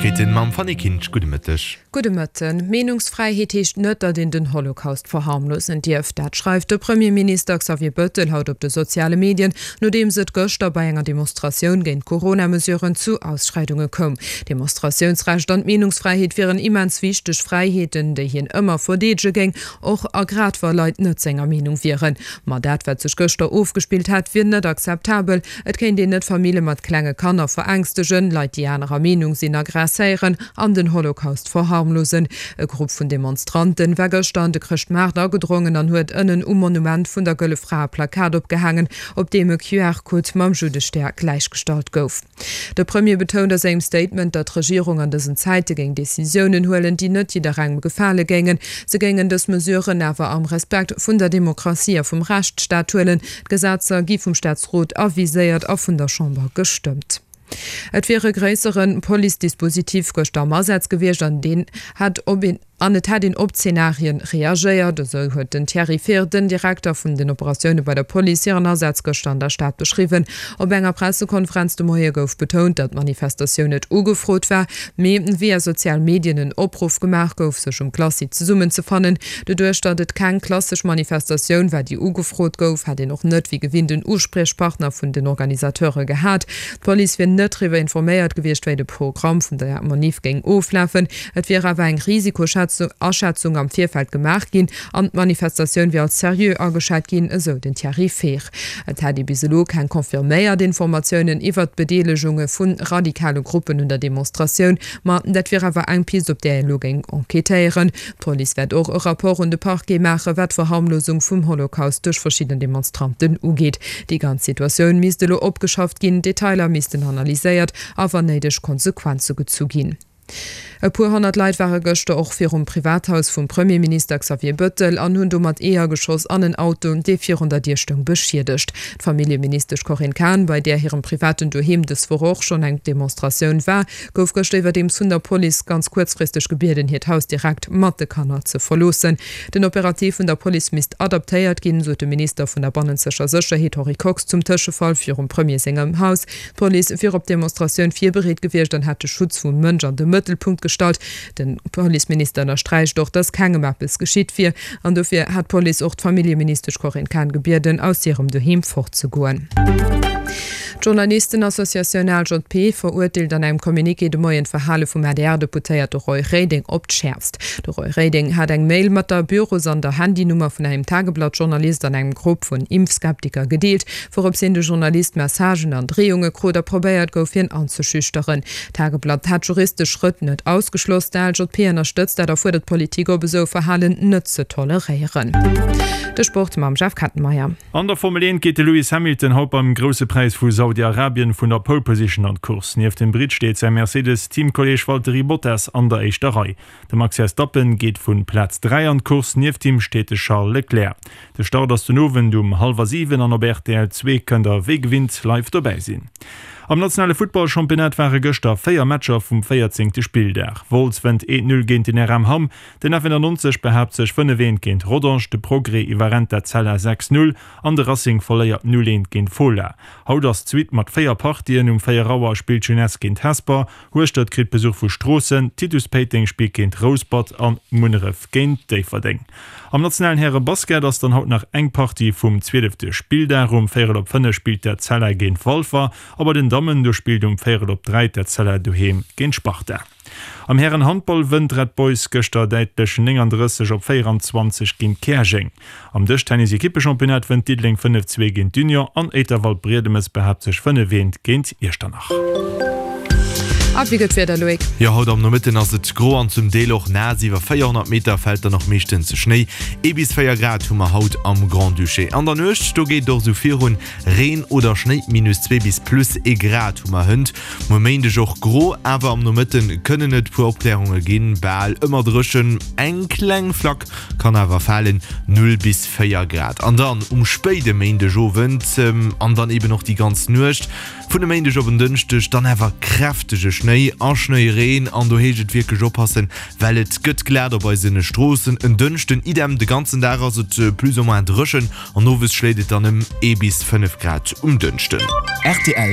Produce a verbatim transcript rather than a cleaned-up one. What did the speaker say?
Neiegkeeten mam Fanny Kinsch. Gudde Mëtteg. Gudde Mëtten. Meenungsfräiheet heescht net, datt een den Holocaust verharmlosen dierf. Dat schreift de Premierminister Xavier Bëttel haut op de soziale Medien, nodeems et gëschter bei enger Demonstratioun géint d'Corona-Mesuren zu Ausschreidunge koum. D'Demonstratiounsrecht an d'Meenungsfräiheet wieren immens wichteg Fräiheeten, déi hien ëmmer verdeedege géing, och a grad wa Leit net senger Meenung wieren. Ma dat, wat sech gëschter ofgespillt hätt, wier net akzeptabel. Et kéint een net Famille mat klenge Kanner verängstegen, Leit, déi anerer Meenung sinn, aggresséieren an den Holocaust verharmlosen. E Grupp vun Demonstranten war gëschter an de Chrëschtmaart agedrongen an huet ënnen um Monument vun der Gëlle Fra e Plakat opgehaangen, op deem e Q R-Code mam Juddestär gläichgestallt gouf. De Premier betount a sengem Statement, datt d'Regierung an dësen Zäite géing Decisiounen huelen, déi net jidderengem gefale géingen. Se géingen dës Mesuren awer am Respekt vun der Demokratie a vum Rechtsstaat huelen. D'Gesetzer gi vum Staatsrot aviséiert a vun der Chamber gestëmmt. Et wier e gréissere Police-Dispositif gëschter am Asaz gewiescht an deen hätt op een an et hätt een op Zenarien reagéiert, esou huet den Thierry Fehr, den Direkter vun den Operatioune bei der Police, hiren Asaz gëschter an der Stad beschriwwen. Op enger Pressekonferenz de Moie gouf betount, datt d'Manifestatioun net ugefrot war, mee via sozial Medien en Opruff gemaach gouf, sech um Glacis zesummenzefannen. Doduerch, datt et keng klassesch Manifestatioun war, déi ugefrot gouf, hätt een och net wéi gewinnt en Uspriechpartner vun den Organisateure gehat. D'Police wier net driwwer informéiert gewiescht, wéi de Programm vun der Manif géing oflafen. Et wier awer eng Risikoaschätzung am Virfeld gemaach ginn an d'Manifestatioun wier als seriö ageschat ginn, esou den Thierry Fehr. Et hätt ee bis elo keng confirméiert Informatiounen iwwert d'Bedeelegunge vu radikale Gruppen un der Demonstratioun, ma dat wier awer eng Pist, op där ee elo géing enquêtéieren. D'Police wäert och e Rapport un de Parquet maachen, wat d'Verharmlosung vum Holocaust duerch verschidden Demonstranten ugeet. Déi ganz Situatioun misst elo opgeschafft ginn, Detailer missten analyséiert a wann néideg Konsequenze gezu ginn. E puer honnert Leit ware gëschter och virum Privathaus vum Premierminister Xavier Bëttel an hunn do mat Eeër geschoss an en Auto, dee virun der Dier stoung, beschiedegt. D'Familljeministesch Corinne Cahen, bei där hirem privaten Doheem dës Woch och schonn eng Demonstratioun war, gouf gëschter iwwerdeems vun der Police ganz kuerzfristeg gebieden, hiert Haus direkt mat de Kanner ze verloossen. Den Operativ vun der Police misst adaptéiert ginn, sot de Minister vun der bannenzeger Sécherheet Henri Kox zum Tëschefall virum Premier sengem Haus. D'Police wier op d'Demonstratioun virbereet gewiescht an hätt de Schutz vum Mënsch an de Mëttelpunkt gestallt. De Policeminister ënnersträicht och, datt kengem eppes geschitt wier an dofir hätt d'Police och d'Familljeministesch Corinne Cahen gebieden, aus hirem Doheem fortzegoen. D'Journalistenassociatioun A L J P verurteelt an engem Communiqué de Moien d'Verhale vum A D R-Deputéierte Roy Reding op d'Schäerfst. De Roy Reding hat eng Mail mat der Büros an der Handynummer vun engem Tageblatt-Journalist an engem Grupp vun Impfskeptiker gedeelt, wourops hin de Journalist Messagen an Dreeunge krut a probéiert gouf, hien anzeschüchteren. D'Tageblatt hat juristesch Schrëtt net ausgeschloss. D'A L J P ënnerstëtzt dat a fuerdert d'Politik op, esou Verhalen net ze toleréieren. De Sport mam Jeff Kettenmeyer. An der Formel eent geet de Lewis Hamilton haut beim Grousse Präis vu Saudi-Arabien vun der Pole Position an d'Course. Nieft dem Britt steet säi Mercedes-Teamkolleeg Valtteri Bottas an der éischter Rei. De Max Verstappen geet vu Plaz dräi an d'Course, nieft him steet de Charles Leclerc. De Start ass den Owend um hallwer siwen an op R T L zwee kënnt der wéi gewinnt live dobäi sinn. Am nationale Futtballchampionnat ware gëschter véier Matcher vum véierzéngte Spilldag. Wolz wënnt eent Null géint den R M Hamm, den F nonennegnonzeg behaapt sech fënnef eent géint Rodange, de Progrès iwwerrennt d'Etzella sechs Null an de Racing verléiert null eent géint Fola. Haut ass d'Suite mat véier Partien, Um véier Auer spillt d'Jeunesse géint Hesper, Hueschtert kritt Besuch vu Stroossen, Titus Péiteng spillt géint Rouspert an Munneref géint Déifferdeng. Am nationalen Häre-Basket ass dann haut nach eng Partie vum zwielefte Spilldag. Um véierel op fënnef spillt d'Etzella géint Walfer a bei den Dammen, do spillt um véierel op dräi d'Etzella doheem géint Sparta. Am Hären-Handball wënnt Red Boys gëschter däitlech nénganddrësseg op véieranzwanzeg géint Käerjeng. Am Dëschtennis-Ekippechampionnat wënnt Diddeleng fënnef zwee géint d'Union an Éiterwald-Briedemes behaapt sech fënnef eent géint Iechternach. A wéi gëtt d'Wieder, Loïc? Jo, haut am Nomëtten ass et gro an zum Deel och naass. Iwwer véierhonnert Meter fält dann och meeschtens Schnéi. Ee bis véier Grad hu mer haut am Grand-Duché. An der Nuecht, do geet et och sou virun, Reen oder Schnéi, minus zwee bis plus ee Grad hu mer hënt. Muer Méindeg och gro, awer am Nomëtte kënnen et puer Opklärunge ginn. Bal ëmmer dréchen, eng kleng Flack kann awer falen, null bis véier Grad. An dann um spéide Méindegowend an dann eben och déi ganz Nuecht vun e Méindeg op en Dënschdeg dann awer kräftege Schnéi a Schnéireen an do heescht et wierklech oppassen, well et gëtt glat op eisen Stroossen. En Dënschden idem, de ganzen Dag ass et plus ou moins dréchen an owes schléit et dann ëm ee bis fënnef Grad um Dënschden. Rtl.